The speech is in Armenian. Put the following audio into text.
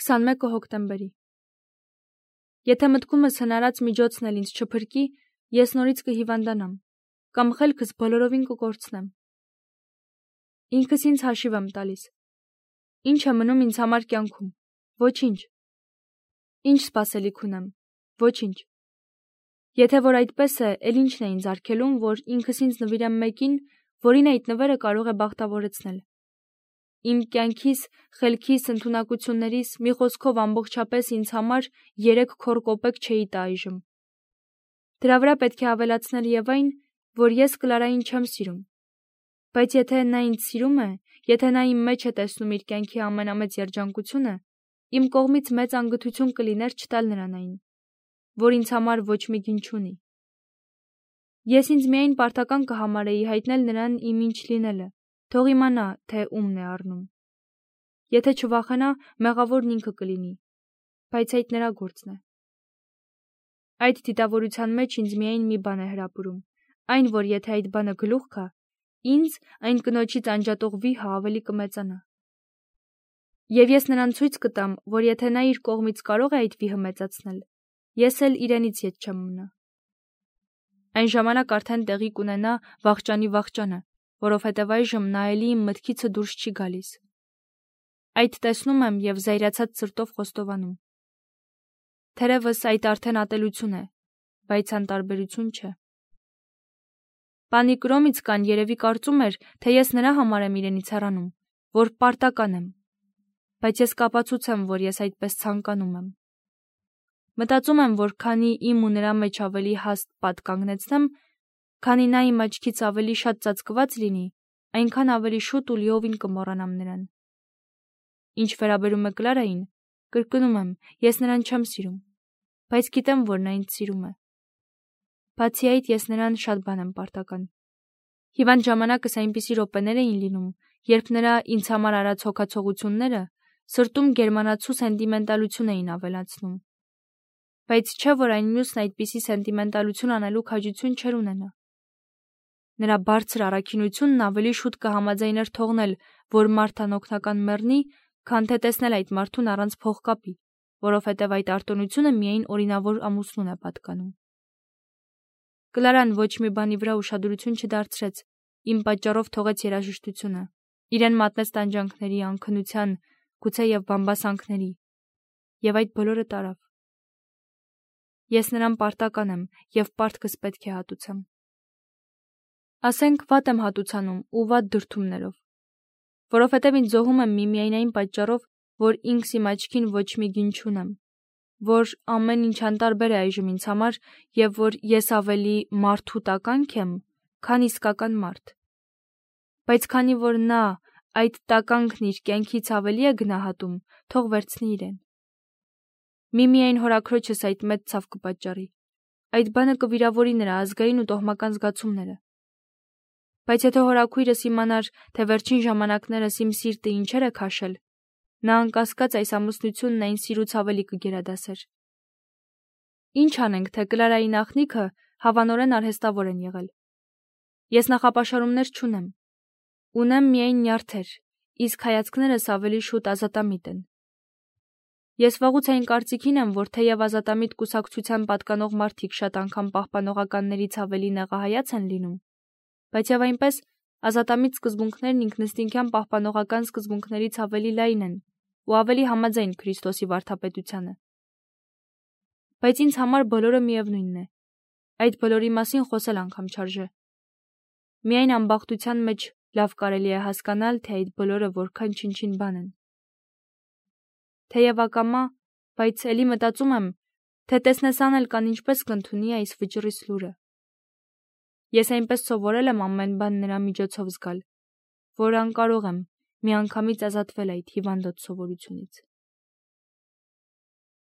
21 հոկտեմբերի։ Եթե մտքումս հնարած միջոցն էլ ինձ չփրկի, ես նորից կհիվանդանամ, կամ խելքս բոլորովին կկորցնեմ։ Ինքս ինձ հաշիվ եմ տալիս։ Ինչ է մնում ինձ համար կյանքում։ Ոչինչ։ Ինչ սպասելիք ունեմ։ Ոչինչ։ Եթե որ այդպես է, էլ ինչն է ինձ արգելում, որ ինքս ինձ նվիրեմ մեկին, որին այդ նվերը կարող է բախտավորեցնել։ Իմ կյանքիս, խելքիս, ընդունակություններիս, մի խոսքով ամբողջապես ինձ համար 3 քոր կոպեկ չէի տա այժմ։ Դրա վրա պետք է ավելացնել եւ այն, որ ես Կլարային չեմ սիրում։ Բայց եթե նա ինձ սիրում է, եթե նա իմ մեջ է տեսնում իր կյանքի ամենամեծ երջանկությունը, իմ կողմից մեծ անգթություն կլիներ չտալ նրան այն, որ ինձ համար ոչ մի գին չունի։ Ես ինձ միայն պարտական կհամարեի հայտնել նրան իմ ինչ լինելը, թող իմանա, թե ումն է առնում։ Եթե չվախենա, մեղավորն ինքը կլինի, բայց այդ նրա գործն է։ Այդ դիտավորության մեջ ինձ միայն մի բան է հրապուրում, այն, որ եթե այդ բանը գլուխ գա, ինձ այն կնոջից անջատող վիհը ավելի կմեծանա։ Եվ ես նրան ցույց կտամ, որ եթե նա իր կողմից կարող է այդ վիհը մեծացնել, ես էլ իրենից ետ չեմ մնա։ Այն ժամանակ արդեն տեղի կունենա վախճանի վախճանը, որովհետև այժմ նա էլի իմ մտքիցը դուրս չի գալիս։ Այդ տեսնում եմ եւ զայրացած սրտով խոստովանում։ Թերևս այդ արդեն ատելություն է, բայց անտարբերություն չէ։ Պանի Կրոմիցկան երևի կարծում էր, թե ես նրա համար եմ իրենից հեռանում, որ պարտական եմ, բայց ես կապացուցեմ, որ ես այդպես ցանկանում եմ։ Մտածում եմ, որ քանի իմ ու նրա մեջ ավելի հաստ պատ կանգնեցնեմ, քանի նա իմ աչքից ավելի շատ ծածկված լինի, այնքան ավելի շուտ ու լիովին կմոռանամ նրան։ Ինչ վերաբերում է Կլարային, կրկնում եմ, ես նրան չեմ սիրում, բայց գիտեմ, որ նա ինձ սիրում է։ Բացի այդ, ես նրան շատ բան եմ պարտական։ Հիվանդ ժամանակս այնպիսի րոպեներ էին լինում, երբ նրա ինձ համար արած հոգացողությունները սրտում գերմանացու սենտիմենտալություն էին ավելացնում։ Բայց չէ՞ որ այն մյուսն այդպիսի սենտիմենտալություն անելու քաջություն չէր ունենա։ Նրա բարձր առաքինությունն ավելի շուտ կհամաձայներ թողնել, որ մարդ անօգնական մեռնի, քան թե տեսնել այդ մարդուն առանց փողկապի, որովհետև այդ արտոնությունը միայն օրինավոր ամուսնուն է պատկանում։ Կլարան ոչ մի բանի վրա ուշադրություն չդարձրեց, իմ պատճառով թողեց երաժշտությունը, իրեն մատնեց տանջանքների, անքնության, գուցե եւ բամբասանքների, եւ այդ բոլորը տարավ։ Ես նրան պարտական եմ եւ պարտքս պետք է հատուցեմ։ Ասենք վատ եմ հատուցանում ու վատ դրդումներով, որովհետև ինձ զոհում եմ միմիայն այն պատճառով, որ ինքս իմ աչքին ոչ մի գին չունեմ, որ ամեն ինչ անտարբեր է այժմ ինձ համար եւ որ ես ավելի մարդու տականք եմ, քան իսկական մարդ։ Բայց քանի որ նա այդ տականքն իր կյանքից ավելի է գնահատում, թող վերցնի իրեն։ Միմիայն հորաքրոջս այդ մեծ ցավ կպատճառի, այդ բանը կվիրավորի նրա ազգային ու տոհմական զգացումները։ Բայց եթե հորաքույրս իմանար, թե վերջին ժամանակներս իմ սիրտը ինչեր է քաշել, նա անկասկած այս ամուսնությունն այն սիրուց ավելի կգերադասեր։ Ինչ անենք, թե Կլարայի նախնիքը հավանորեն արհեստավոր են եղել։ Ես նախապաշարումներ չունեմ։ Ունեմ միայն նյարդեր, իսկ հայացքներս ավելի շուտ ազատամիտ են։ Ես վաղուց այն կարծիքին եմ, որ թեև ազատամիտ կուսակցության պատկանող մարդիկ շատ անգամ պահպանողականներից ավելի նեղահայաց են լինում, բայց եւ այնպես ազատամիտ սկզբունքներն ինքնըստինքյան պահպանողական սկզբունքներից ավելի լայն են ու ավելի համաձայն Քրիստոսի վարդապետությանը։ Բայց ինձ համար բոլորը միևնույնն է։ Այդ բոլորի մասին խոսել անգամ չարժե։ Միայն անբախտության մեջ լավ կարելի է հասկանալ, թե այդ բոլորը որքան չնչին բան են։ Թեև ակամա, բայց էլի մտածում եմ, թե տեսնես անել կան ինչպես կընդունի այս վճռի սլուրը։ Ես այնպես սովորել եմ ամեն բան նրա միջոցով զգալ, որ անկարող եմ միանգամից ազատվել այդ հիվանդոտ սովորությունից։